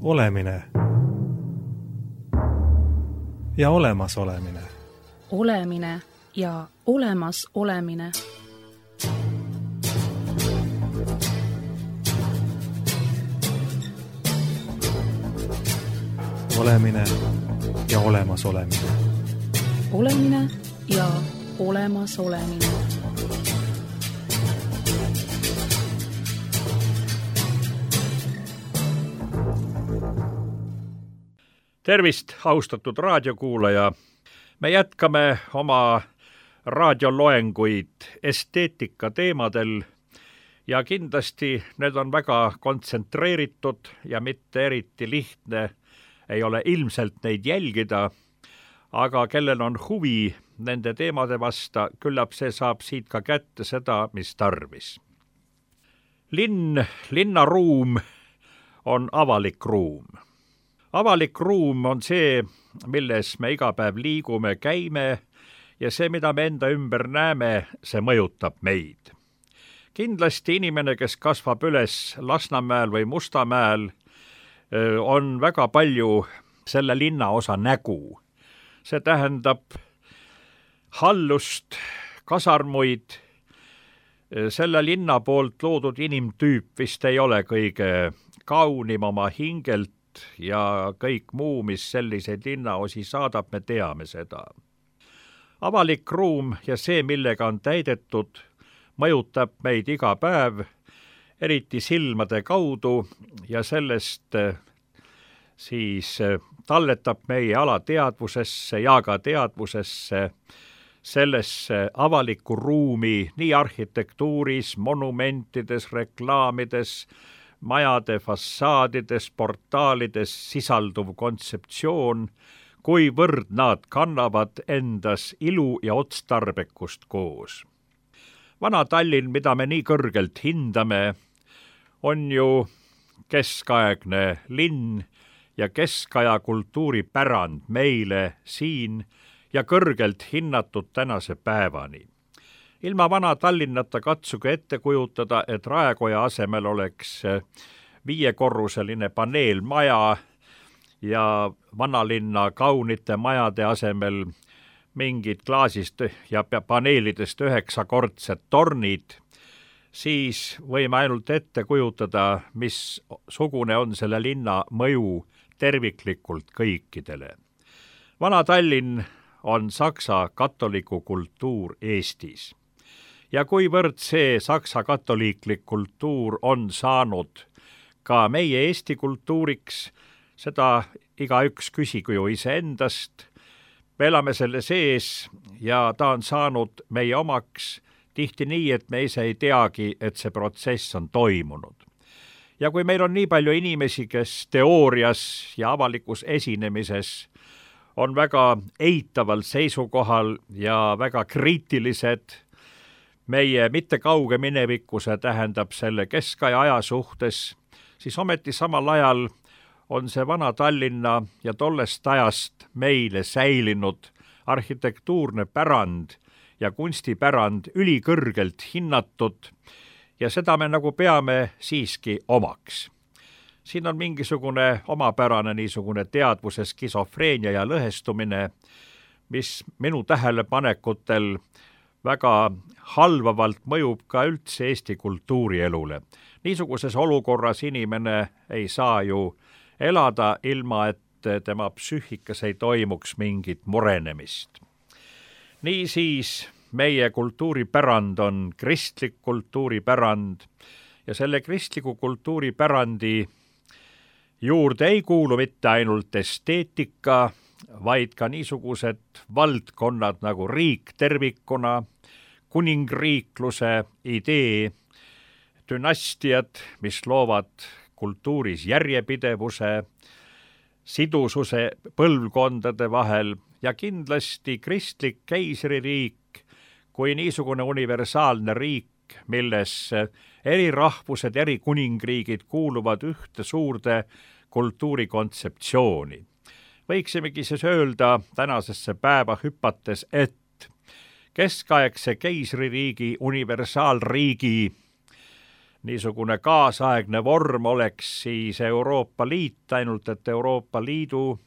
Olemine ja olemasolemine. Olemine ja olemas olemine. Olemine ja olemas olemine. Olemine ja olemas olemine. Tervist, austatud raadiokuulaja! Me jätkame oma raadioloenguid esteetika teemadel ja kindlasti need on väga kontsentreeritud ja mitte eriti lihtne ei ole ilmselt neid jälgida, aga kellel on huvi nende teemade vasta, küllap see saab siit ka kätte seda, mis tarvis. Linnaruum on avalik ruum. Avalik ruum on see, milles me iga päev liigume, käime ja see, mida me enda ümber näeme, see mõjutab meid. Kindlasti inimene, kes kasvab üles Lasnamäel või Mustamäel, on väga palju selle linnaosa nägu. See tähendab hallust, kasarmuid. Selle linna poolt loodud inimtüüp vist ei ole kõige kaunim oma hingelt ja kõik muu, mis selliseid linnaosi saadab, me teame seda. Avalik ruum ja see, millega on täidetud, mõjutab meid iga päev, eriti silmade kaudu ja sellest siis talletab meie alateadvusesse ja ka teadvusesse sellesse avaliku ruumi nii arhitektuuris, monumentides, reklaamides, majade fassaadides, portaalides sisalduv kontseptsioon, kuivõrd nad kannavad endas ilu ja otstarbekust koos. Vana Tallinn, mida me nii kõrgelt hindame, on ju keskaegne linn ja keskaja kultuuripärand meile siin ja kõrgelt hinnatud tänase päevani. Ilma Vana Tallinnata katsuge ette kujutada, et Raekoja asemel oleks 5-korruseline paneelmaja ja vanalinna kaunite majade asemel mingid klaasist ja paneelidest 9-kordsed tornid, siis võime ainult ette kujutada, missugune on selle linna mõju terviklikult kõikidele. Vana Tallinn on saksa katoliku kultuur Eestis. Ja kuivõrd see saksa katoliiklik kultuur on saanud ka meie Eesti kultuuriks, seda igaüks küsigu ju iseendast. Me elame selle sees ja ta on saanud meie omaks tihti nii, et me ise ei teagi, et see protsess on toimunud. Ja kui meil on nii palju inimesi, kes teoorias ja avalikus esinemises on väga eitaval seisukohal ja väga kriitilised, meie mitte kauge minevikuse tähendab selle keskaja aja suhtes, siis ometi samal ajal on see Vana Tallinna ja tollest ajast meile säilinud arhitektuurne pärand ja kunstipärand ülikõrgelt hinnatud ja seda me nagu peame siiski omaks. Siin on mingisugune omapärane niisugune teadvuse skisofreenia ja lõhestumine, mis minu tähelepanekutel väga halvavalt mõjub ka üldse Eesti kultuurielule. Niisuguses olukorras inimene ei saa ju elada ilma, et tema psüühikas ei toimuks mingit murenemist. Niisiis meie kultuuripärand on kristlik kultuuripärand ja selle kristliku kultuuripärandi juurde ei kuulu mitte ainult esteetika, vaid ka niisugused valdkonnad nagu riik tervikuna, kuningriikluse idee, dünastiad, mis loovad kultuuris järjepidevuse, sidususe põlvkondade vahel ja kindlasti kristlik keisririik kui niisugune universaalne riik, milles eri rahvused, eri kuningriigid kuuluvad ühte suurde kultuurikontseptsiooni. Võiksimegi siis öelda tänasesse päeva hüpates, et keskaegse keisririigi, universaalriigi niisugune kaasaegne vorm oleks siis Euroopa Liit, ainult et Euroopa Liidu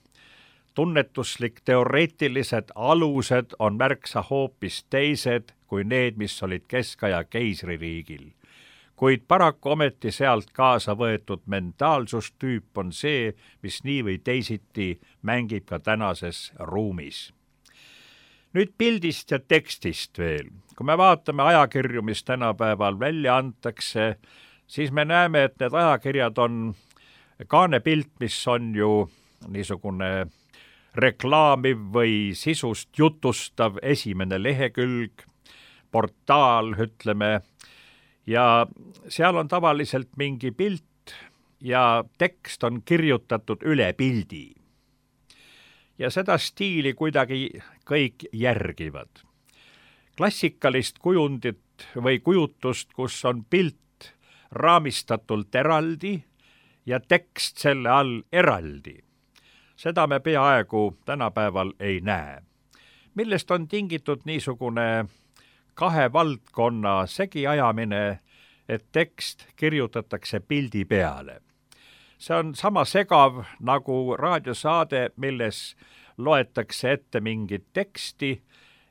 tunnetuslik teoreetilised alused on märksa hoopis teised kui need, mis olid keskaja keisririigil. Kuid paraku ometi sealt kaasa võetud mentaalsustüüp on see, mis nii või teisiti mängib ka tänases ruumis. Nüüd pildist ja tekstist veel. Kui me vaatame ajakirju, mis tänapäeval välja antakse, siis me näeme, et need ajakirjad on kaanepilt, mis on ju niisugune reklaamiv või sisust jutustav esimene lehekülg, portaal, ütleme, ja seal on tavaliselt mingi pilt ja tekst on kirjutatud üle pildi. Ja seda stiili kuidagi kõik järgivad. Klassikalist kujundit või kujutust, kus on pilt raamistatult eraldi ja tekst selle all eraldi. Seda me peaaegu tänapäeval ei näe. Millest on tingitud niisugune kahe valdkonna segiajamine, et tekst kirjutatakse pildi peale. See on sama segav nagu raadiosaade, milles loetakse ette mingit teksti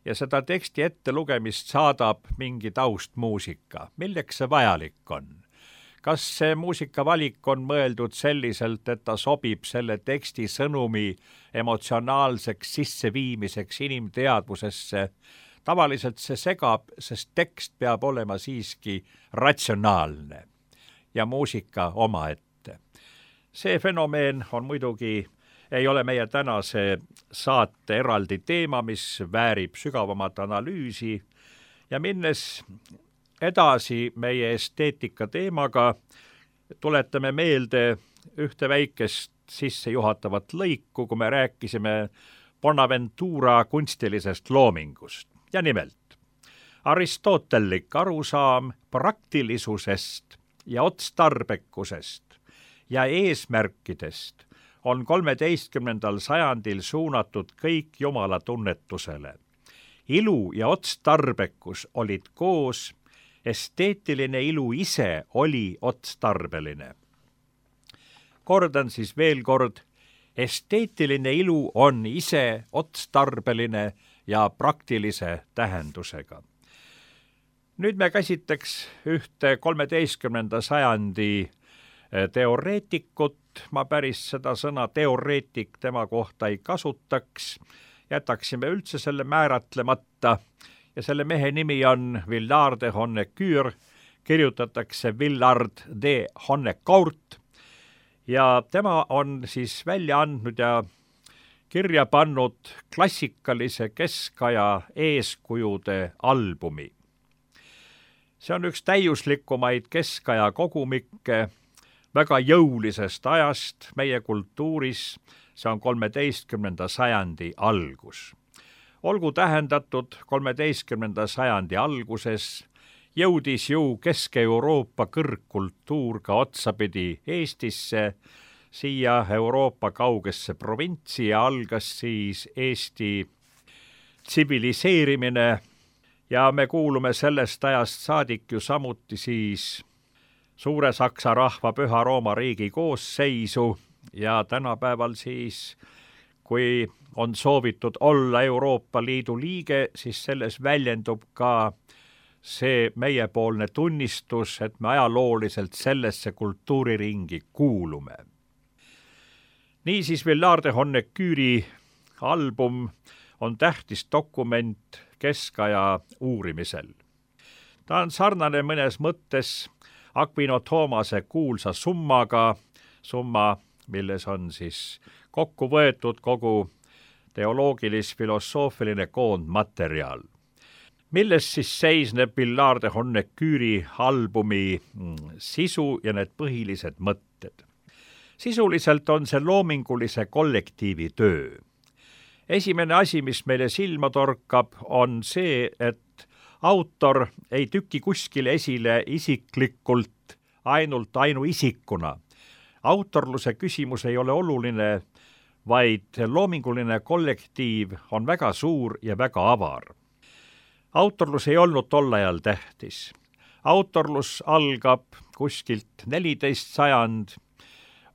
ja seda teksti ette lugemist saadab mingi taustmuusika. Milleks see vajalik on? Kas see muusikavalik on mõeldud selliselt, et ta sobib selle teksti sõnumi emotsionaalseks sisseviimiseks inimteadvusesse? Tavaliselt see segab, sest tekst peab olema siiski ratsionaalne ja muusika omaette. See fenomeen on muidugi, ei ole meie tänase saate eraldi teema, mis väärib sügavamat analüüsi ja minnes edasi meie esteetika teemaga, tuletame meelde ühte väikest sissejuhatavat lõiku, kui me rääkisime Bonaventura kunstilisest loomingust. Ja nimelt, aristotelik arusaam praktilisusest ja otstarbekusest ja eesmärkidest on 13. sajandil suunatud kõik Jumala tunnetusele. Ilu ja otstarbekus olid koos, esteetiline ilu ise oli otstarbeline. Kordan siis veel kord, esteetiline ilu on ise otstarbeline ja praktilise tähendusega. Nüüd me käsitleks ühte 13. sajandi teoreetikut, ma päris seda sõna teoreetik tema kohta ei kasutaks, jätaksime üldse selle määratlemata ja selle mehe nimi on Villard de Honnecourt, kirjutatakse Villard de Honnecourt ja tema on siis välja andnud ja kirja pannud klassikalise keskaja eeskujude albumi. See on üks täiuslikumaid keskaja kogumikke väga jõulisest ajast meie kultuuris, see on 13. sajandi algus. Olgu tähendatud, 13. sajandi alguses jõudis ju Kesk-Euroopa kõrgkultuur ka otsapidi Eestisse, siia Euroopa kaugesse provintsi ja algas siis Eesti tsiviliseerimine ja me kuulume sellest ajast saadik ju samuti siis Suure Saksa rahva Püha Rooma riigi koosseisu ja tänapäeval siis, kui on soovitud olla Euroopa Liidu liige, siis selles väljendub ka see meiepoolne tunnistus, et me ajalooliselt sellesse kultuuriringi kuulume. Niisiis Villard de Honnecourt'i album on tähtis dokument keskaja uurimisel. Ta on sarnane mõnes mõttes Aquino Thomase kuulsa summaga, summa, milles on siis kokku võetud kogu teoloogilis-filosoofiline koondmaterjal. Milles siis seisneb Villard de Honnecourt'i albumi sisu ja need põhilised mõtted? Sisuliselt on see loomingulise kollektiivi töö. Esimene asi, mis meile silma torkab, on see, et autor ei tüki kuskile esile isiklikult ainult ainuisikuna. Autorluse küsimus ei ole oluline, vaid loominguline kollektiiv on väga suur ja väga avar. Autorlus ei olnud tol ajal tähtis. Autorlus algab kuskilt 14. sajand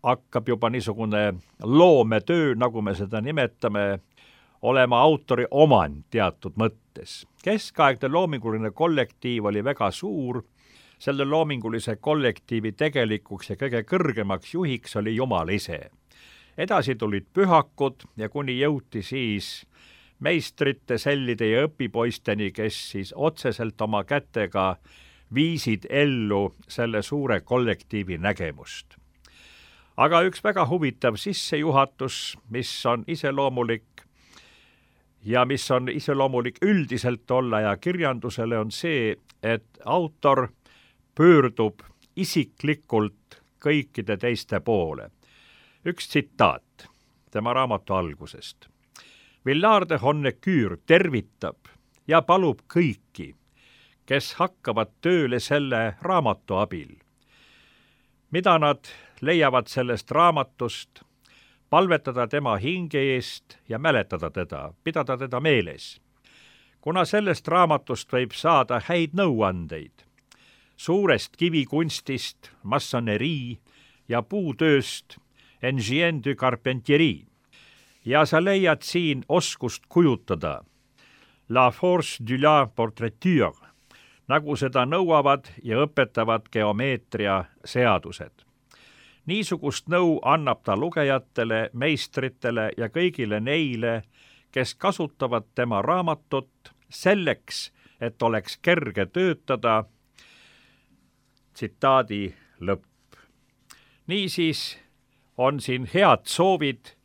hakkab juba niisugune loometöö, nagu me seda nimetame, olema autori omand teatud mõttes. Keskaegne loominguline kollektiiv oli väga suur, selle loomingulise kollektiivi tegelikuks ja kõige kõrgemaks juhiks oli Jumal ise. Edasi tulid pühakud ja kuni jõuti siis meistrite, sellide ja õpipoisteni, kes siis otseselt oma kätega viisid ellu selle suure kollektiivi nägemust. Aga üks väga huvitav sissejuhatus, mis on iseloomulik ja mis on iseloomulik üldiselt olla ja kirjandusele, on see, et autor pöördub isiklikult kõikide teiste poole. Üks tsitaat tema raamatu algusest. Villard de Honnecourt tervitab ja palub kõiki, kes hakkavad tööle selle raamatu abil. Mida nad leiavad sellest raamatust, palvetada tema hinge eest ja mäletada teda, pidada teda meeles. Kuna sellest raamatust võib saada häid nõuandeid, suurest kivikunstist, massonerii ja puutööst, engine du carpentierie, ja sa leiad siin oskust kujutada, la force du la portraiture, nagu seda nõuavad ja õpetavad geomeetria seadused. Niisugust nõu annab ta lugejatele, meistritele ja kõigile neile, kes kasutavad tema raamatut selleks, et oleks kerge töötada. Tsitaadi lõpp. Niisiis on siin head soovid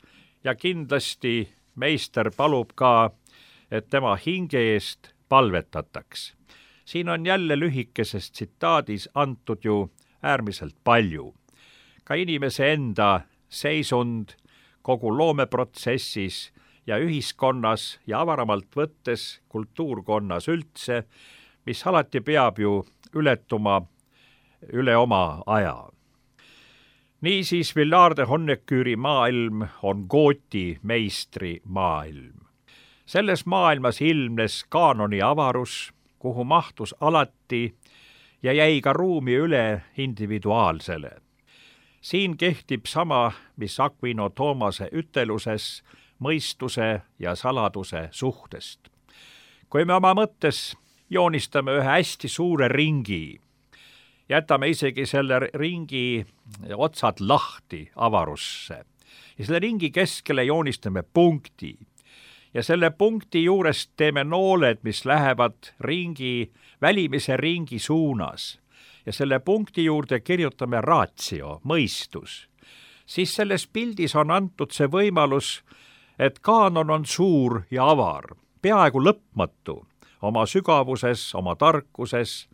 ja kindlasti meister palub ka, et tema hinge eest palvetataks. Siin on jälle lühikeses tsitaadis antud ju äärmiselt palju. Ka inimese enda seisund kogu loomeprotsessis ja ühiskonnas ja avaramalt võttes kultuurkonnas üldse, mis alati peab ju ületuma üle oma aja. Niisiis Villard de Honnecourt'i maailm on gooti meistri maailm. Selles maailmas ilmnes kaanoni avarus, kuhu mahtus alati ja jäi ka ruumi üle individuaalsele. Siin kehtib sama, mis Aquino Tomase üteluses mõistuse ja saladuse suhtest. Kui me oma mõttes joonistame ühe hästi suure ringi, jätame isegi selle ringi otsad lahti avarusse ja selle ringi keskele joonistame punkti ja selle punkti juurest teeme nooled, mis lähevad ringi, välimise ringi suunas ja selle punkti juurde kirjutame ratio, mõistus, siis selles pildis on antud see võimalus, et kaanon on suur ja avar, peaaegu lõpmatu, oma sügavuses, oma tarkuses,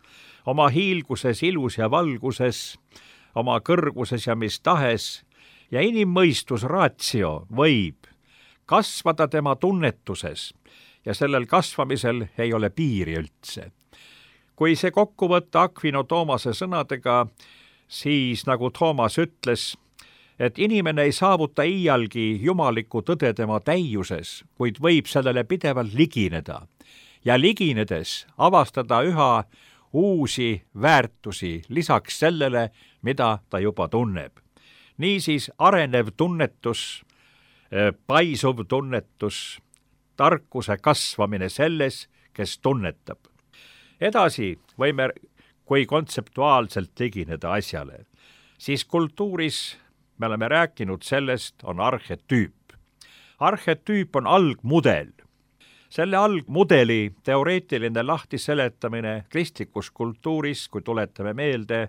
oma hiilguses, ilus ja valguses, oma kõrguses ja mis tahes, ja inimmõistus ratio võib kasvada tema tunnetuses ja sellel kasvamisel ei ole piiri üldse. Kui see kokku võtta Aquino Tomase sõnadega, siis nagu Toomas ütles, et inimene ei saavuta iialgi jumalikku tõde tema täiuses, kuid võib sellele pidevalt ligineda ja liginedes avastada üha uusi väärtusi lisaks sellele, mida ta juba tunneb. Niisiis arenev tunnetus, paisuv tunnetus, tarkuse kasvamine selles, kes tunnetab. Edasi võime, kui kontseptuaalselt ligineda asjale, siis kultuuris me oleme rääkinud sellest, on arhetüüp. Arhetüüp on algmudel. Selle algmudeli teoreetiline lahtiseletamine kristlikus kultuuris, kui tuletame meelde,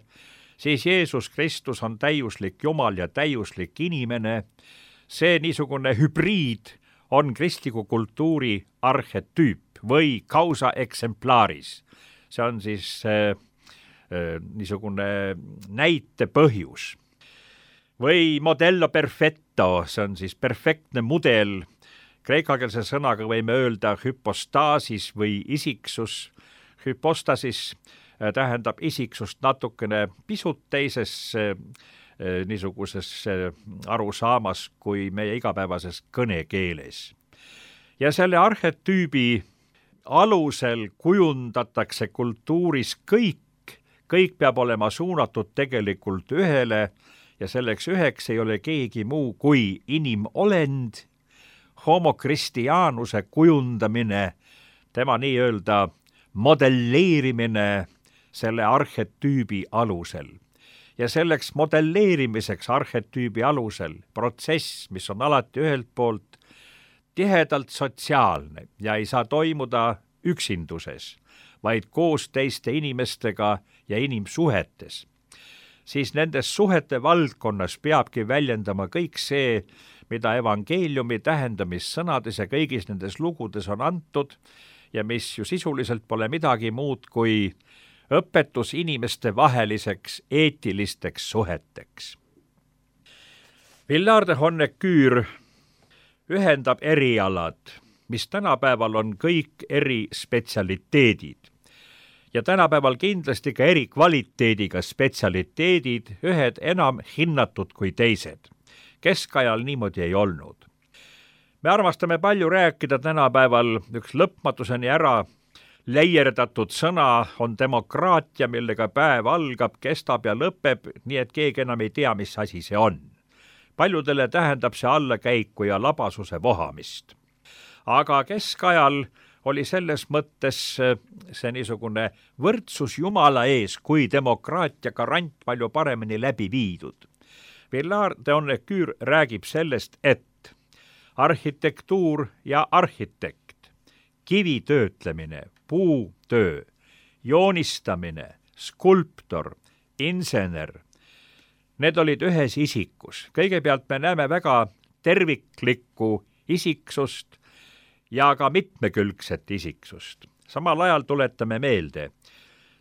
siis Jeesus Kristus on täiuslik Jumal ja täiuslik inimene. See niisugune hübriid on kristliku kultuuri arhetüüp või causa exemplaris. See on siis niisugune näite põhjus. Või modello perfetto, see on siis perfektne mudel. Kreekakeelse sõnaga võime öelda hüpostasis või isiksus. Hüpostasis tähendab isiksust natukene pisut teises niisuguses arusaamas kui meie igapäevases kõnekeeles. Ja selle arhetüübi alusel kujundatakse kultuuris kõik kõik peab olema suunatud tegelikult ühele ja selleks üheks ei ole keegi muu kui inimolend, homo Christianuse kujundamine, tema nii-öelda modelleerimine selle arhetüübi alusel. Ja selleks modelleerimiseks arhetüübi alusel protsess, mis on alati ühelt poolt tihedalt sotsiaalne ja ei saa toimuda üksinduses, vaid koos teiste inimestega ja inimsuhetes, siis nendes suhete valdkonnas peabki väljendama kõik see, mida evangeeliumi tähendamissõnades ja kõigis nendes lugudes on antud ja mis ju sisuliselt pole midagi muud kui õpetus inimeste vaheliseks eetilisteks suheteks. Villard de Honnecourt ühendab erialad, mis tänapäeval on kõik eri spetsialiteedid ja tänapäeval kindlasti ka eri kvaliteediga spetsialiteedid, ühed enam hinnatud kui teised. Keskajal niimoodi ei olnud. Me armastame palju rääkida tänapäeval, üks lõpmatuseni ära leierdatud sõna on demokraatia, millega päev algab, kestab ja lõpeb, nii et keegi enam ei tea, mis asi see on. Paljudele tähendab see allakäiku ja labasuse vohamist. Aga keskajal oli selles mõttes see niisugune võrdsus Jumala ees kui demokraatia garant palju paremini läbi viidud. Villard de Honnecourt räägib sellest, et arhitektuur ja arhitekt, kivi töötlemine, puutöö, joonistamine, skulptor, insener, need olid ühes isikus. Kõigepealt me näeme väga terviklikku isiksust ja ka mitmekülgset isiksust. Samal ajal tuletame meelde,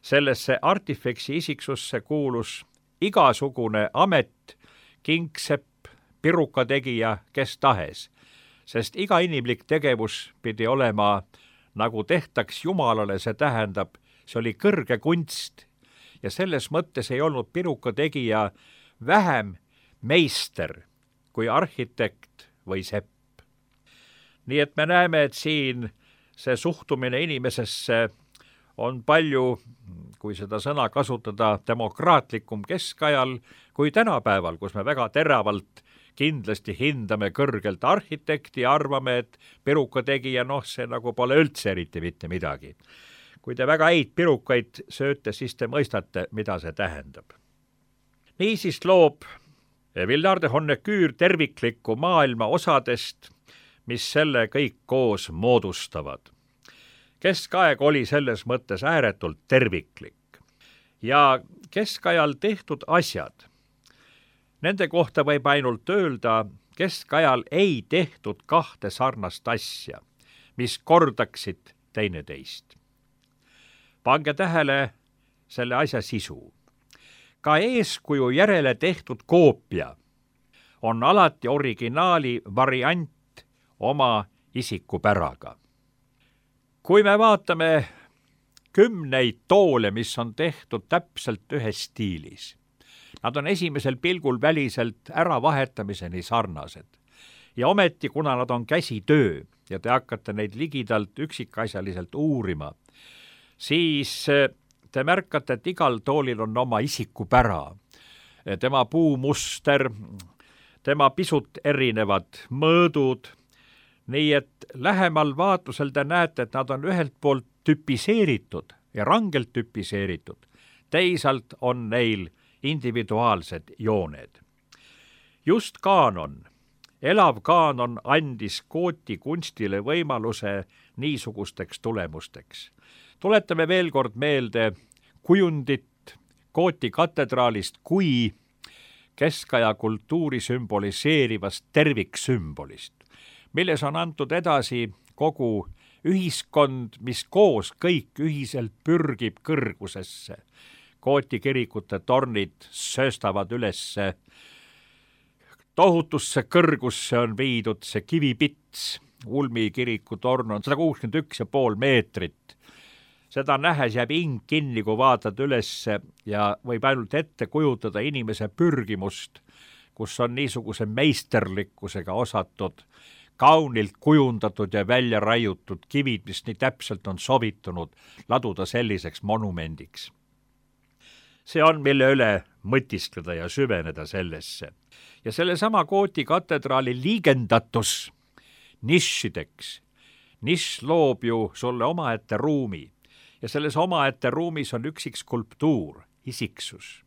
sellesse artifeksi isiksusse kuulus igasugune amet, kingsepp, pirukategija, kes tahes, sest iga inimlik tegevus pidi olema nagu tehtaks Jumalale, see tähendab, see oli kõrge kunst ja selles mõttes ei olnud pirukategija vähem meister kui arhitekt või sepp. Nii et me näeme, et siin see suhtumine inimesesse on palju, kui seda sõna kasutada, demokraatlikum keskajal kui tänapäeval, kus me väga teravalt kindlasti hindame kõrgelt arhitekti ja arvame, et pirukategija, see nagu pole üldse eriti mitte midagi. Kui te väga häid pirukaid sööte, siis te mõistate, mida see tähendab. Niisiis loob Villard de Honnecourt terviklikku maailma osadest, mis selle kõik koos moodustavad. Keskaeg oli selles mõttes ääretult terviklik ja keskajal tehtud asjad, nende kohta võib ainult öelda, keskajal ei tehtud kahte sarnast asja, mis kordaksid teineteist. Pange tähele selle asja sisu. Ka eeskuju järele tehtud koopia on alati originaali variant oma isikupäraga. Kui me vaatame 10 toole, mis on tehtud täpselt ühes stiilis, nad on esimesel pilgul väliselt äravahetamiseni sarnased. Ja ometi, kuna nad on käsitöö ja te hakkate neid ligidalt üksikasjaliselt uurima, siis te märkate, et igal toolil on oma isikupära, tema puumuster, tema pisut erinevad mõõdud, nii et lähemal vaatlusel te näete, et nad on ühelt poolt tüpiseeritud ja rangelt tüpiseeritud, teisalt on neil individuaalsed jooned. Just kaanon, elav kaanon andis Cooti kunstile võimaluse niisugusteks tulemusteks. Tuletame veel kord meelde kujundit Cooti katedraalist kui keskaja kultuuri sümboliseerivast terviksümbolist, milles on antud edasi kogu ühiskond, mis koos kõik ühiselt pürgib kõrgusesse. Cooti kirikute tornid sööstavad ülesse, tohutusse kõrgusse on viidud see kivipits, Ulmi kiriku torn on 161,5 meetrit. Seda nähes jääb hing kinni, kui vaatad ülesse ja võib ainult ette kujutada inimese pürgimust, kus on niisuguse meisterlikkusega osatud, kaunilt kujundatud ja välja raiutud kivid, mis nii täpselt on sobitunud laduda selliseks monumendiks. see on, mille üle mõtiskleda ja süveneda sellesse. Ja sellesama Gooti katedraali liigendatus nišideks. Nišš loob ju sulle omaette ruumi ja selles omaette ruumis on üksik skulptuur, isiksus.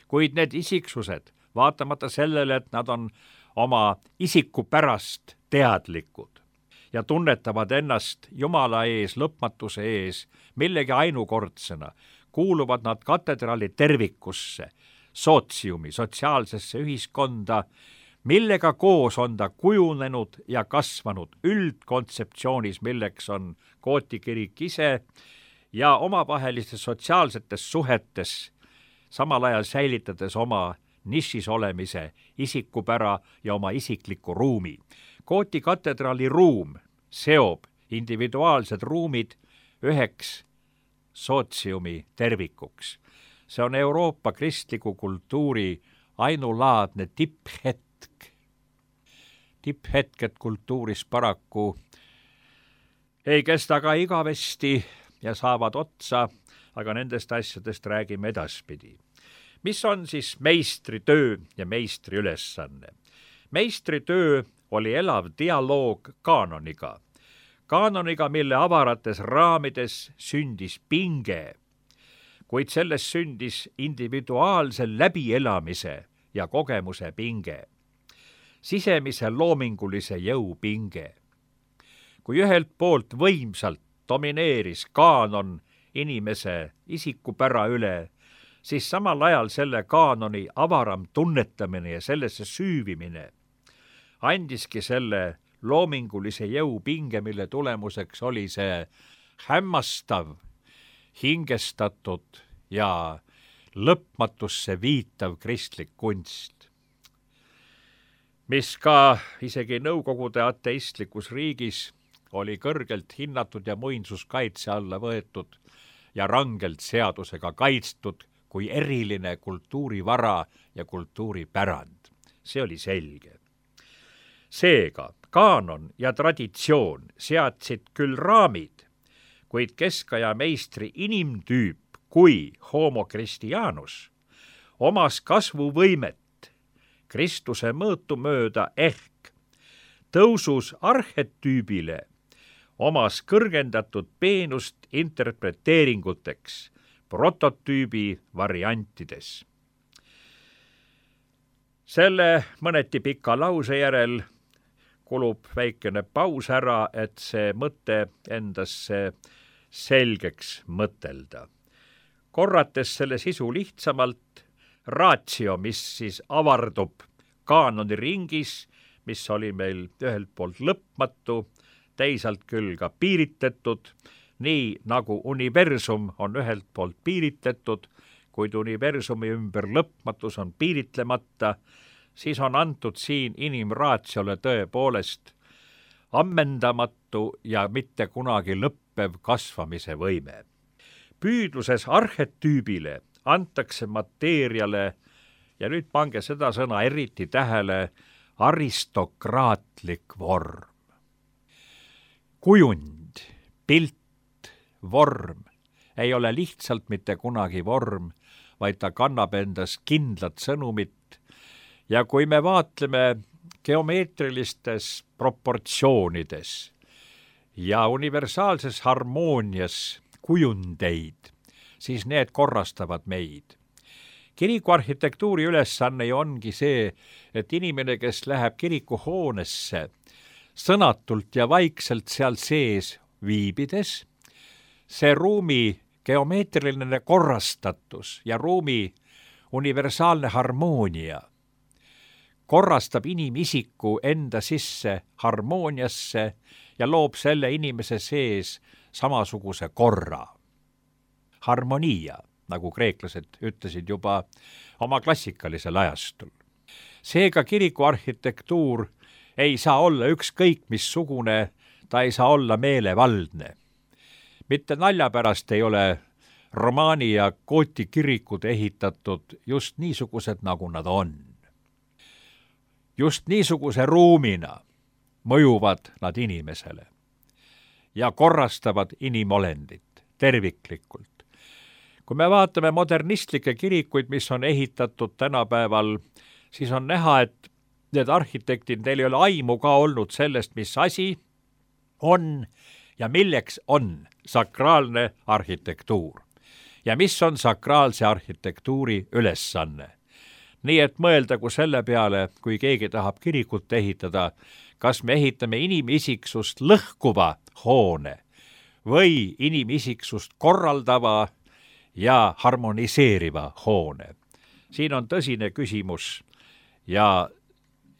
Kuid need isiksused, vaatamata sellele, et nad on oma isiku pärast teadlikud ja tunnetavad ennast Jumala ees, lõpmatuse ees, millegi ainukordsena, kuuluvad nad katedraali tervikusse, sootsiumi, sotsiaalsesse ühiskonda, millega koos on ta kujunenud ja kasvanud üldkontseptsioonis, milleks on Gooti kirik ise ja omavahelistes sotsiaalsetes suhetes, samal ajal säilitades oma nišis olemise isikupära ja oma isikliku ruumi. Gooti katedraali ruum seob individuaalsed ruumid üheks sootsiumi tervikuks. See on Euroopa kristliku kultuuri ainulaadne tipphetk. Tipphetked kultuuris paraku ei kesta ka igavesti ja saavad otsa, aga nendest asjadest räägime edaspidi. Mis on siis meistritöö ja meistri ülesanne? Meistritöö oli elav dialoog kaanoniga. Kaanoniga, mille avarates raamides sündis pinge, kuid selles sündis individuaalse läbielamise ja kogemuse pinge, sisemise loomingulise jõu pinge. Kui ühelt poolt võimsalt domineeris kaanon inimese isikupära üle, siis samal ajal selle kaanoni avaram tunnetamine ja sellesse süüvimine andiski selle loomingulise jõu pinge, mille tulemuseks oli see hämmastav, hingestatud ja lõpmatusse viitav kristlik kunst, mis ka isegi Nõukogude ateistlikus riigis oli kõrgelt hinnatud ja muinsuskaitse alla võetud ja rangelt seadusega kaitstud kui eriline kultuurivara ja kultuuripärand. See oli selge. Seega, kaanon ja traditsioon seadsid küll raamid, kuid keskaja meistri inimtüüp kui homo Christianus omas kasvuvõimet Kristuse mõõtu mööda ehk tõusus arhetüübile omas kõrgendatud peenust interpreteeringuteks prototüübi variantides. Selle mõneti pika lause järel kulub väikene paus ära, et see mõte endasse selgeks mõtelda. Korrates selle sisu lihtsamalt, ratio, mis siis avardub kaanoni ringis, mis oli meil ühelt poolt lõpmatu, teisalt küll ka piiritletud, nii nagu universum on ühelt poolt piiritletud, kuid universumi ümber lõpmatus on piiritlemata, siis on antud siin inimraatsiole tõepoolest ammendamatu ja mitte kunagi lõppev kasvamise võime. Püüdluses arhetüübile antakse mateeriale, ja nüüd pange seda sõna eriti tähele, aristokraatlik vorm. Kujund, pilt, vorm ei ole lihtsalt mitte kunagi vorm, vaid ta kannab endas kindlat sõnumit ja kui me vaatleme geomeetrilistes proportsioonides ja universaalses harmoonias kujundeid, siis need korrastavad meid. Kirikuarhitektuuri ülesanne ongi see, et inimene, kes läheb kirikuhoonesse, sõnatult ja vaikselt seal sees viibides, see ruumi geomeetriline korrastatus ja ruumi universaalne harmoonia korrastab inimisiku enda sisse harmooniasse ja loob selle inimese sees samasuguse korra. Harmonia, nagu kreeklased ütlesid juba oma klassikalisel ajastul. Seega kirikuarhitektuur ei saa olla ükskõik missugune, ta ei saa olla meelevaldne. Mitte nalja pärast ei ole romaani ja Gooti kirikud ehitatud just niisugused, nagu nad on. Just niisuguse ruumina mõjuvad nad inimesele ja korrastavad inimolendit terviklikult. kui me vaatame modernistlikke kirikuid, mis on ehitatud tänapäeval, siis on näha, et need arhitektid, neil ei ole aimu ka olnud sellest, mis asi on ja milleks on sakraalne arhitektuur ja mis on sakraalse arhitektuuri ülesanne. Nii et mõeldagu selle peale, kui keegi tahab kirikut ehitada, kas me ehitame inimisiksust lõhkuva hoone või inimisiksust korraldava ja harmoniseeriva hoone. Siin on tõsine küsimus ja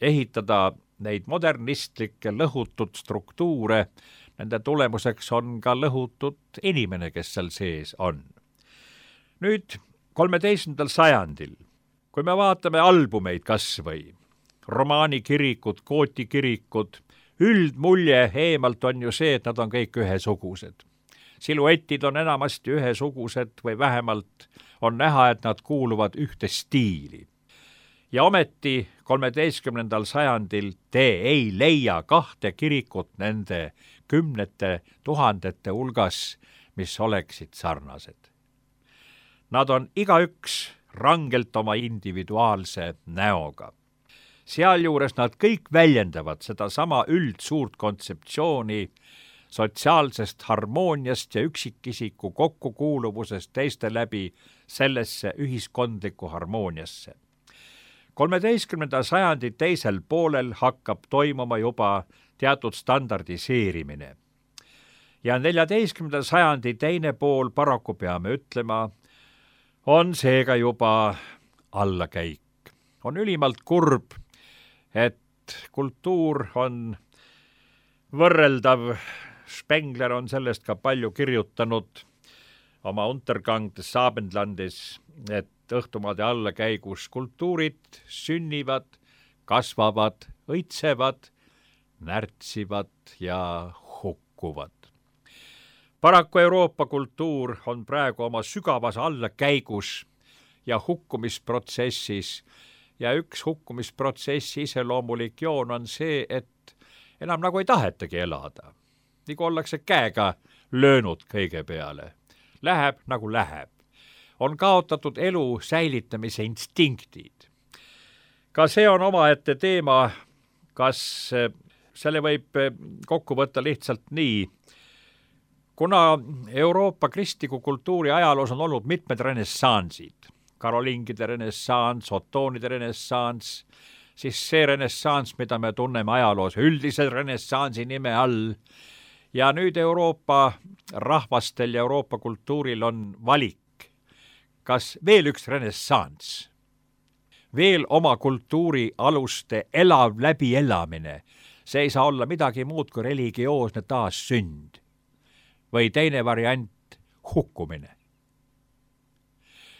ehitada neid modernistlikke lõhutud struktuure, nende tulemuseks on ka lõhutud inimene, kes seal sees on. Nüüd 13. sajandil, kui me vaatame albumeid kas või, romaanikirikud, gootikirikud, üldmulje eemalt on ju see, et nad on kõik ühesugused. Siluetid on enamasti ühesugused või vähemalt on näha, et nad kuuluvad ühte stiili. Ja ometi 13. sajandil te ei leia kahte kirikut nende 10 000 hulgas, mis oleksid sarnased. Nad on igaüks rangelt oma individuaalse näoga. Sealjuures nad kõik väljendavad sedasama üldsuurt kontseptsiooni sotsiaalsest harmooniast ja üksikisiku kokkukuuluvusest teiste läbi sellesse ühiskondlikku harmooniasse. 13. sajandi teisel poolel hakkab toimuma juba teatud standardiseerimine. Ja 14. sajandi teine pool, paraku peame ütlema, on seega juba allakäik. On ülimalt kurb, et kultuur on võrreldav. Spengler on sellest ka palju kirjutanud oma Untergang des Abendlandes, et õhtumaade allakäigus kultuurid sünnivad, kasvavad, õitsevad, närtsivad ja hukkuvad. Paraku Euroopa kultuur on praegu oma sügavas allakäigus ja hukkumisprotsessis ja üks hukkumisprotsessi iseloomulik joon on see, et enam nagu ei tahetagi elada. Nagu ollakse käega löönud kõige peale. Läheb nagu läheb. On kaotatud elu säilitamise instinktid. Ka see on omaette teema, kas selle võib kokku võtta lihtsalt nii. Kuna Euroopa kristliku kultuuri ajaloos on olnud mitmed renessansid, karoliingide renessans, otoonide renessans, siis see renessans, mida me tunneme ajaloos üldise renessansi nime all, ja nüüd Euroopa rahvastel ja Euroopa kultuuril on valik, kas veel üks renessans, veel oma kultuuri aluste elav läbielamine, see ei saa olla midagi muud kui religioosne taassünd või teine variant, hukkumine.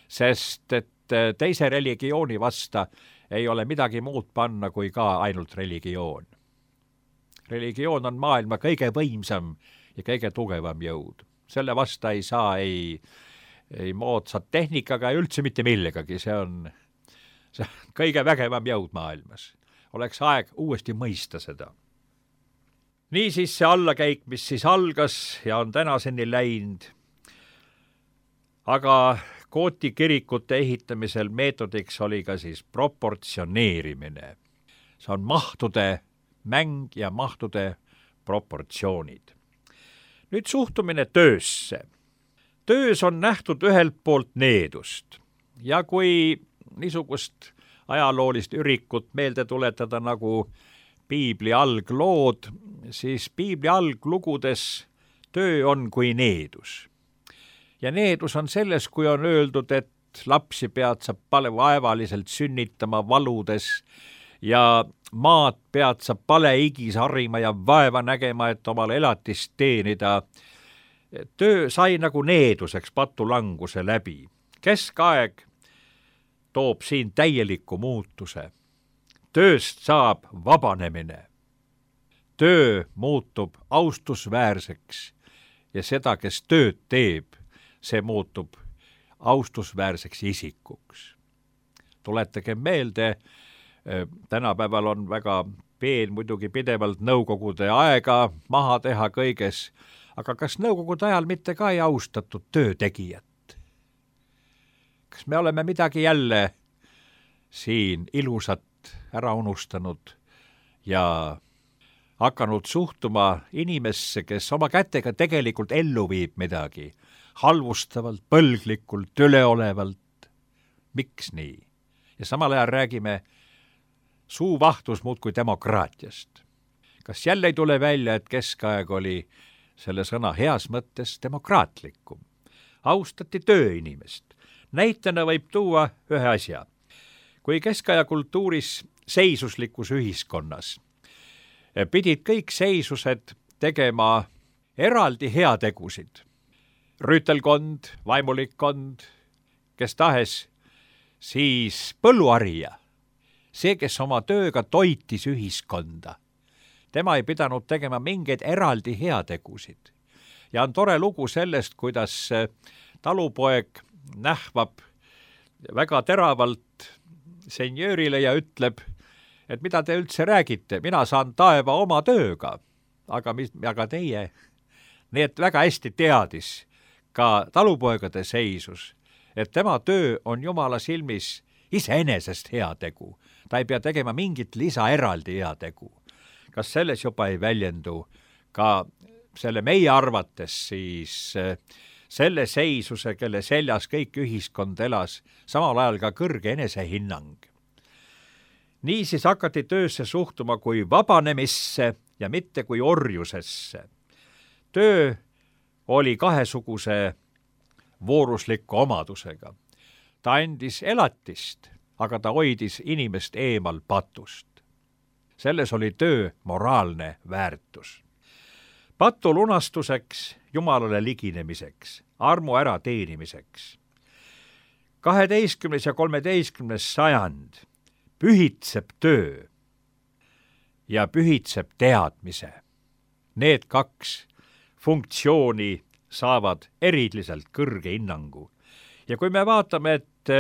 Sest et teise religiooni vasta ei ole midagi muud panna kui ka ainult religioon. Religioon on maailma kõige võimsam ja kõige tugevam jõud. Selle vasta ei saa ei moodsat tehnikaga ja üldse mitte millegagi. See on kõige vägevam jõud maailmas. Oleks aeg uuesti mõista seda. Niisiis see allakäik, mis siis algas ja on tänaseni läinud, aga Gooti kirikute ehitamisel meetodiks oli ka siis proportsioneerimine. See on mahtude mäng ja mahtude proportsioonid. Nüüd suhtumine töösse. Töös on nähtud ühelt poolt needust ja kui niisugust ajaloolist ürikut meelde tuletada nagu Piibli alglood, siis Piibli alglugudes töö on kui needus. Ja needus on selles, kui on öeldud, et lapsi pead sa vaevaliselt sünnitama valudes ja maad pead sa paleigis harima ja vaeva nägema, et omale elatist teenida. Töö sai nagu needuseks patulanguse läbi. Keskaeg toob siin täieliku muutuse. Tööst saab vabanemine. Töö muutub austusväärseks ja seda, kes tööd teeb, see muutub austusväärseks isikuks. Tuletage meelde, tänapäeval on väga peen muidugi pidevalt nõukogude aega maha teha kõiges, aga kas nõukogude ajal mitte ka ei austatud töötegijat? kas me oleme midagi jälle siin ilusat ära unustanud ja hakanud suhtuma inimesse, kes oma kätega tegelikult ellu viib midagi, halvustavalt, põlglikult, üleolevalt. Miks nii? Ja samal ajal räägime suuvahtus muudkui demokraatiast. Kas jälle ei tule välja, et keskaeg oli selle sõna heas mõttes demokraatlikum? Austati tööinimest. Näitena võib tuua ühe asja. Kui keskaja kultuuris seisuslikus ühiskonnas pidid kõik seisused tegema eraldi heategusid. Rüütelkond, vaimulikkond, kes tahes, siis põlluarija, see, kes oma tööga toitis ühiskonda, tema ei pidanud tegema mingeid eraldi heategusid. Ja on tore lugu sellest, kuidas talupoeg nähvab väga teravalt senjöörile ja ütleb, et mida te üldse räägite, mina saan taeva oma tööga, aga teie. Nii et väga hästi teadis ka talupoegade seisus, et tema töö on Jumala silmis iseenesest heategu. Ta ei pea tegema mingit lisaeraldi heategu. Kas selles juba ei väljendu ka selle meie arvates siis selle seisuse, kelle seljas kõik ühiskond elas, samal ajal ka kõrge enesehinnang. Niisiis hakati töösse suhtuma kui vabanemisse ja mitte kui orjusesse. Töö oli kahesuguse voorusliku omadusega. Ta andis elatist, aga ta hoidis inimest eemal patust. Selles oli töö moraalne väärtus. Patu lunastuseks, Jumalale liginemiseks, armu ära teenimiseks. 12. ja 13. sajand pühitseb töö ja pühitseb teadmise. Need kaks funktsiooni saavad eriliselt kõrge hinnangu. Ja kui me vaatame, et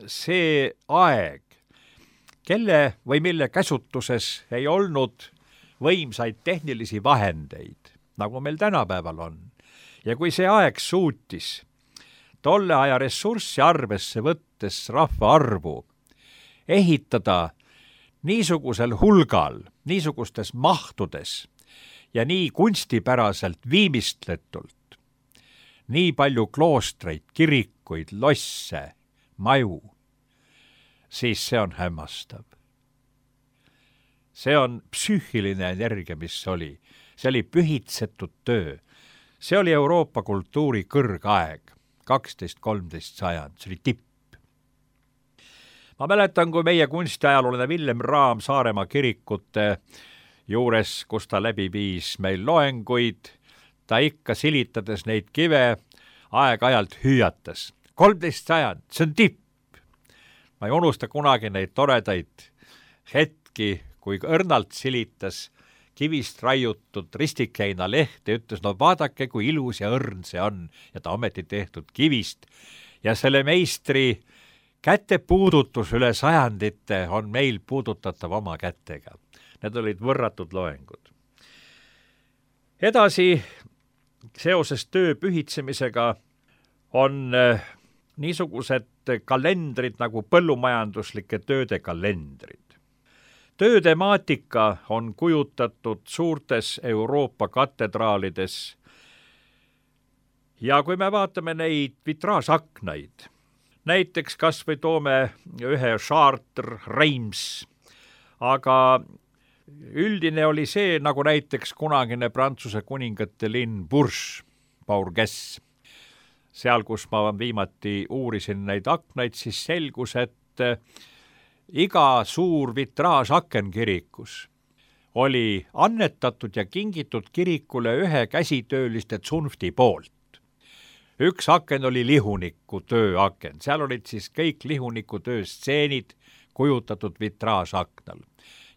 see aeg, kelle või mille käsutuses ei olnud võimsaid tehnilisi vahendeid, nagu meil tänapäeval on, ja kui see aeg suutis tolle aja ressurssi arvesse võttes rahva arvu ehitada niisugusel hulgal, niisugustes mahtudes ja nii kunstipäraselt viimistletult, nii palju kloostreid, kirikuid, losse, maju, siis see on hämmastav. See on psüühiline energia, mis oli. See oli pühitsetud töö. See oli Euroopa kultuuri kõrgaeg, 12-13 sajand, see oli tipp. Ma mäletan, kui meie kunstiajalooline Villem Raam Saaremaa kirikute juures, kus ta läbi viis meil loenguid, ta ikka silitades neid kive aeg-ajalt hüüatas. 13 sajand, see on tipp. Ma ei unusta kunagi neid toredaid hetki, kui õrnalt silitas kivist raiutud ristikeina lehte ja ütles, no vaadake, kui ilus ja õrn see on, ja ta ometi tehtud kivist. Ja selle meistri kätepuudutus üle sajandite on meil puudutatav oma kätega. Need olid võrratud loengud. Edasi, seoses töö pühitsemisega on niisugused kalendrid nagu põllumajanduslike tööde kalendrid. Töötemaatika on kujutatud suurtes Euroopa katedraalides ja kui me vaatame neid vitraažaknaid, näiteks kas või toome ühe Chartres, Reims, aga üldine oli see, nagu näiteks kunagine Prantsuse kuningate linn Bourges, Bourges. Seal, kus ma viimati uurisin neid aknaid, siis selgus, et iga suur vitraažaken kirikus oli annetatud ja kingitud kirikule ühe käsitööliste tsunfti poolt. Üks aken oli lihuniku tööaken, seal olid siis kõik lihuniku töö stseenid kujutatud vitraažaknal.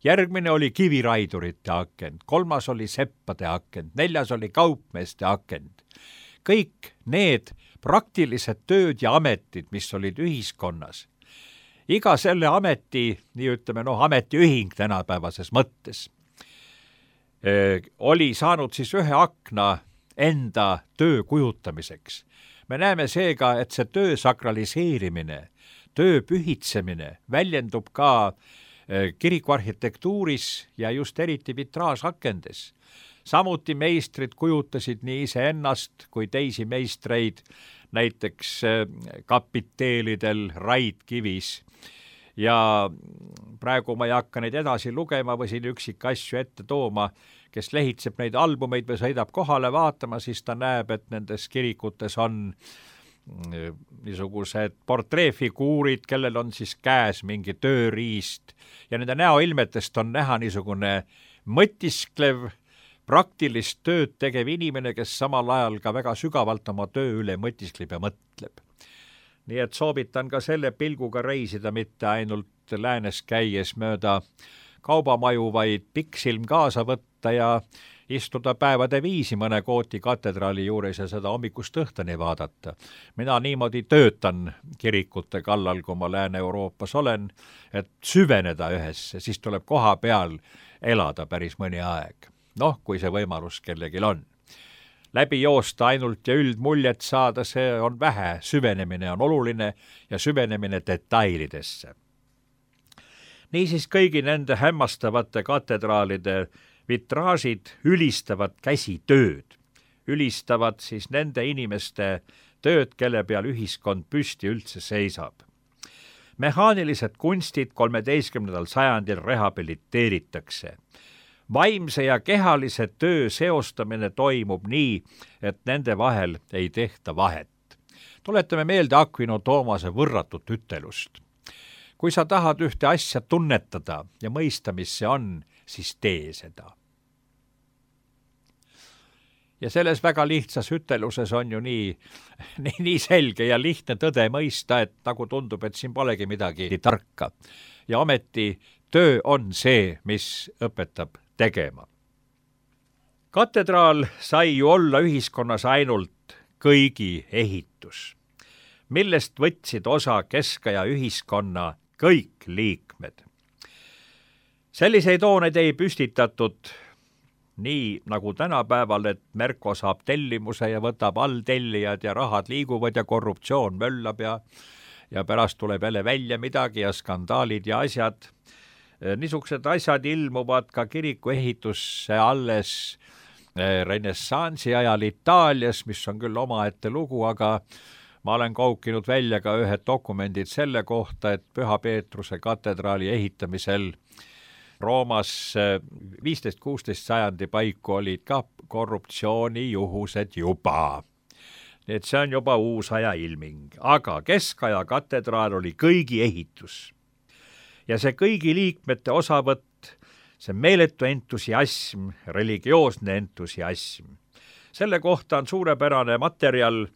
Järgmine oli kiviraidurite akend, 3. oli seppade akend, 4. oli kaupmeeste akend. Kõik need praktilised tööd ja ametid, mis olid ühiskonnas, iga selle ameti, nii ütleme, ametiühing tänapäevases mõttes, oli saanud siis ühe akna enda töö kujutamiseks. me näeme seega, et see töö sakraliseerimine, töö pühitsemine väljendub ka kirikuarhitektuuris ja just eriti vitraažakendes. Samuti meistrid kujutasid nii iseennast kui teisi meistreid, näiteks kapiteelidel raidkivis. Ja praegu ma ei hakka neid edasi lugema või siin üksikasju ette tooma. Kes lehitseb neid albumeid või sõidab kohale vaatama, siis ta näeb, et nendes kirikutes on niisugused portreefiguurid, kellel on siis käes mingi tööriist ja nende näoilmetest on näha niisugune mõtisklev, praktilist tööd tegev inimene, kes samal ajal ka väga sügavalt oma töö üle mõtiskleb ja mõtleb. Nii et soovitan ka selle pilguga reisida, mitte ainult läänes käies mööda kaubamaju, vaid pikksilm kaasa võtta ja istuda päevade viisi mõne Gooti katedraali juures ja seda hommikust õhtuni vaadata. Mina niimoodi töötan kirikute kallal, kui ma Lääne-Euroopas olen, et süveneda ühesse, siis tuleb koha peal elada päris mõni aeg. Kui see võimalus kellegil on. Läbi joosta ainult ja üldmuljet saada, see on vähe, süvenemine on oluline ja süvenemine detailidesse. Niisiis kõigi nende hämmastavate katedraalide vitraažid ülistavad käsitööd, ülistavad siis nende inimeste tööd, kelle peal ühiskond püsti üldse seisab. Mehaanilised kunstid 13. sajandil rehabiliteeritakse. Vaimse ja kehalise töö seostamine toimub nii, et nende vahel ei tehta vahet. Tuletame meelde Aquino Toomase võrratut ütelust. Kui sa tahad ühte asja tunnetada ja mõista, mis see on, siis tee seda. Ja selles väga lihtsas üteluses on ju nii selge ja lihtne tõde mõista, et nagu tundub, et siin polegi midagi tarka. Ja ometi töö on see, mis õpetab tegema. Katedraal sai ju olla ühiskonnas ainult kõigi ehitus, millest võtsid osa keskaja ühiskonna kõik liikmed. Selliseid hooneid ei püstitatud nii nagu tänapäeval, et Merko saab tellimuse ja võtab alltellijad ja rahad liiguvad ja korruptsioon möllab ja pärast tuleb jälle välja midagi ja skandaalid ja asjad. Niisugused asjad ilmuvad ka kiriku ehitusse alles renessansi ajal Itaalias, mis on küll omaette lugu, aga ma olen kaukinud välja ka ühed dokumendid selle kohta, et Püha Peetruse katedraali ehitamisel Roomas 15-16 sajandi paiku olid ka korruptsioonijuhused juba. Nii et see on juba uus aja ilming, aga keskaja katedraal oli kõigi ehitus. Ja see kõigi liikmete osavõtt, see meeletu entusiasm, religioosne entusiasm. Selle kohta on suurepärane materjal,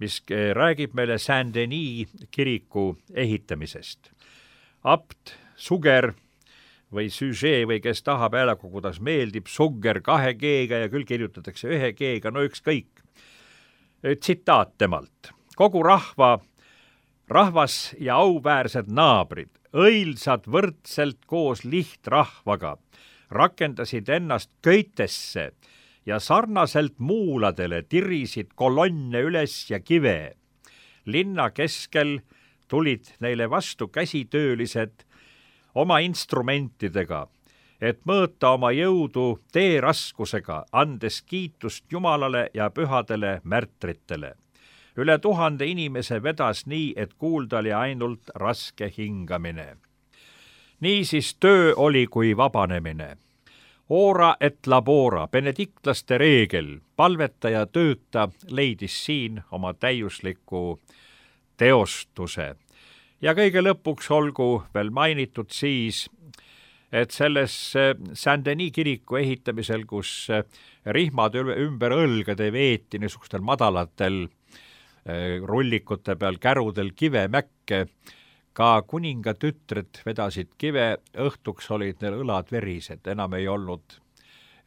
mis räägib meile Saint-Denis kiriku ehitamisest. Abt Suger või Suger või kes tahab hääleku, kuidas meeldib, Suger 2 G-ga ja küll kirjutatakse 1 G-ga, no ükskõik. Tsitaat temalt. Kogu rahvas ja auväärsed naabrid, õilsad võrdselt koos lihtrahvaga, rakendasid ennast köitesse ja sarnaselt muuladele tirisid kolonne üles ja kive. Linna keskel tulid neile vastu käsitöölised oma instrumentidega, et mõõta oma jõudu teeraskusega, andes kiitust Jumalale ja pühadele märtritele. Üle 1000 inimese vedas nii, et kuulda oli ainult raske hingamine. Niisiis töö oli kui vabanemine. Ora et labora, benediktlaste reegel, palveta ja tööta leidis siin oma täiusliku teostuse. Ja kõige lõpuks olgu veel mainitud siis, et selles Saint-Denis kiriku ehitamisel, kus rihmad ümber õlgade veeti niisugustel madalatel rullikute peal kärudel kivemäkke, ka kuninga tütred vedasid kive, õhtuks olid neil õlad verised, enam ei olnud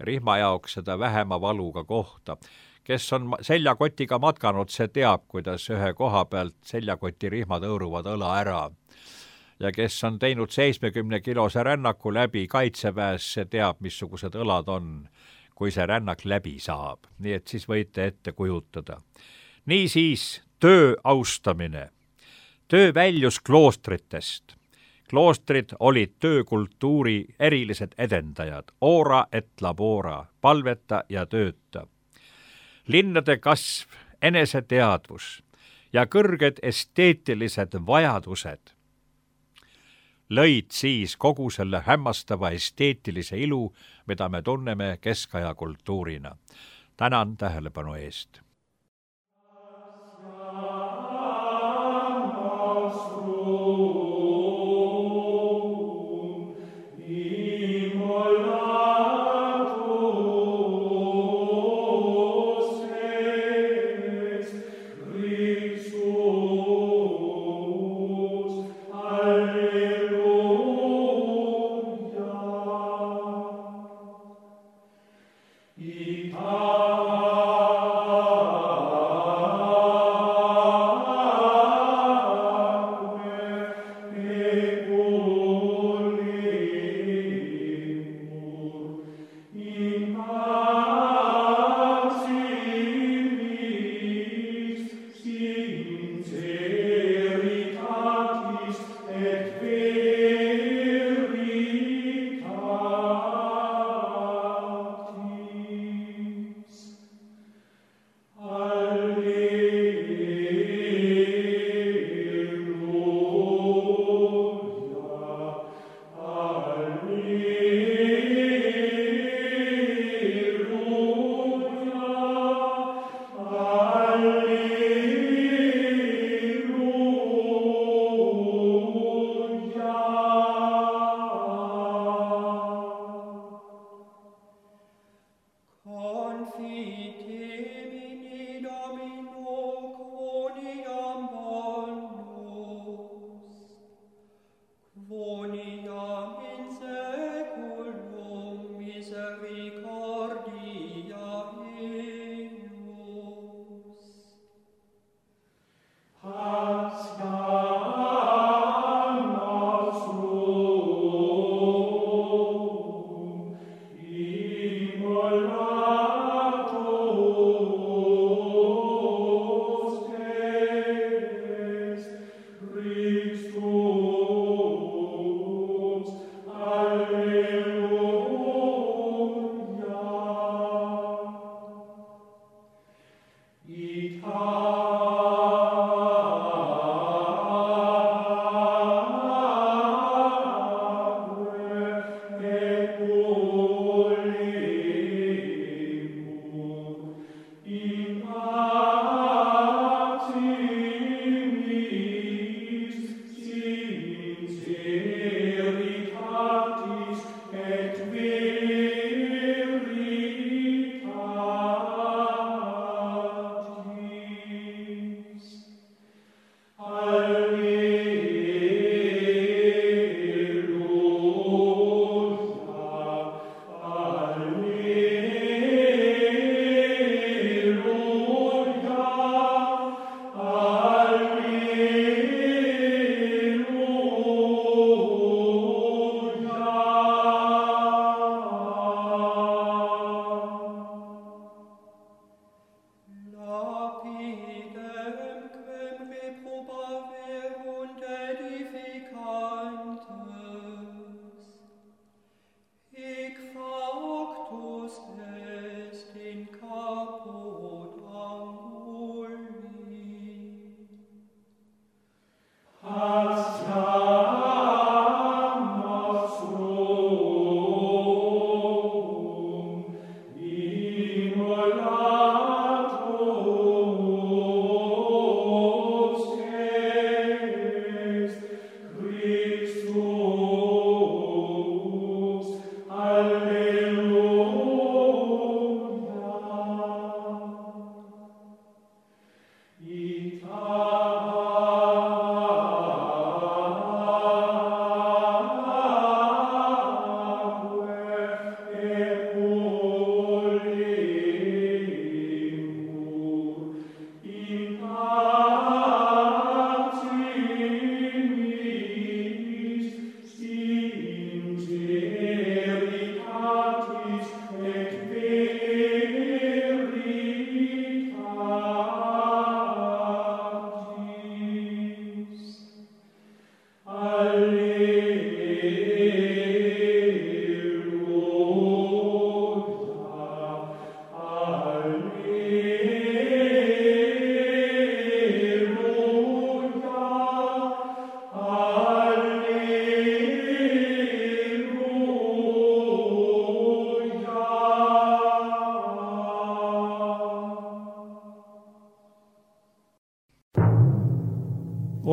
rihma jaoks seda vähema valuga kohta. Kes on seljakotiga matkanud, see teab, kuidas ühe koha pealt seljakoti rihmad õõruvad õla ära. Ja kes on teinud 70-kilose rännaku läbi kaitseväes, see teab, missugused õlad on, kui see rännak läbi saab. Nii et siis võite ette kujutada. Niisiis töö austamine. Töö väljus kloostritest. Kloostrid olid töökultuuri erilised edendajad, ora et labora, palveta ja tööta. Linnade kasv, eneseteadvus ja kõrged esteetilised vajadused lõid siis kogu selle hämmastava esteetilise ilu, mida me tunneme keskaja kultuurina. Tänan tähelepanu eest.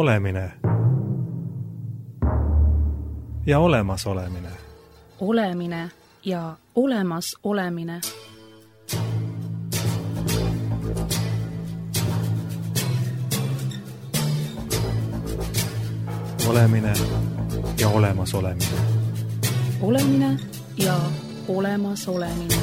olemine ja olemasolemine. Olemine ja olemasolemine. Olemine ja olemasolemine. Olemine ja olemasolemine.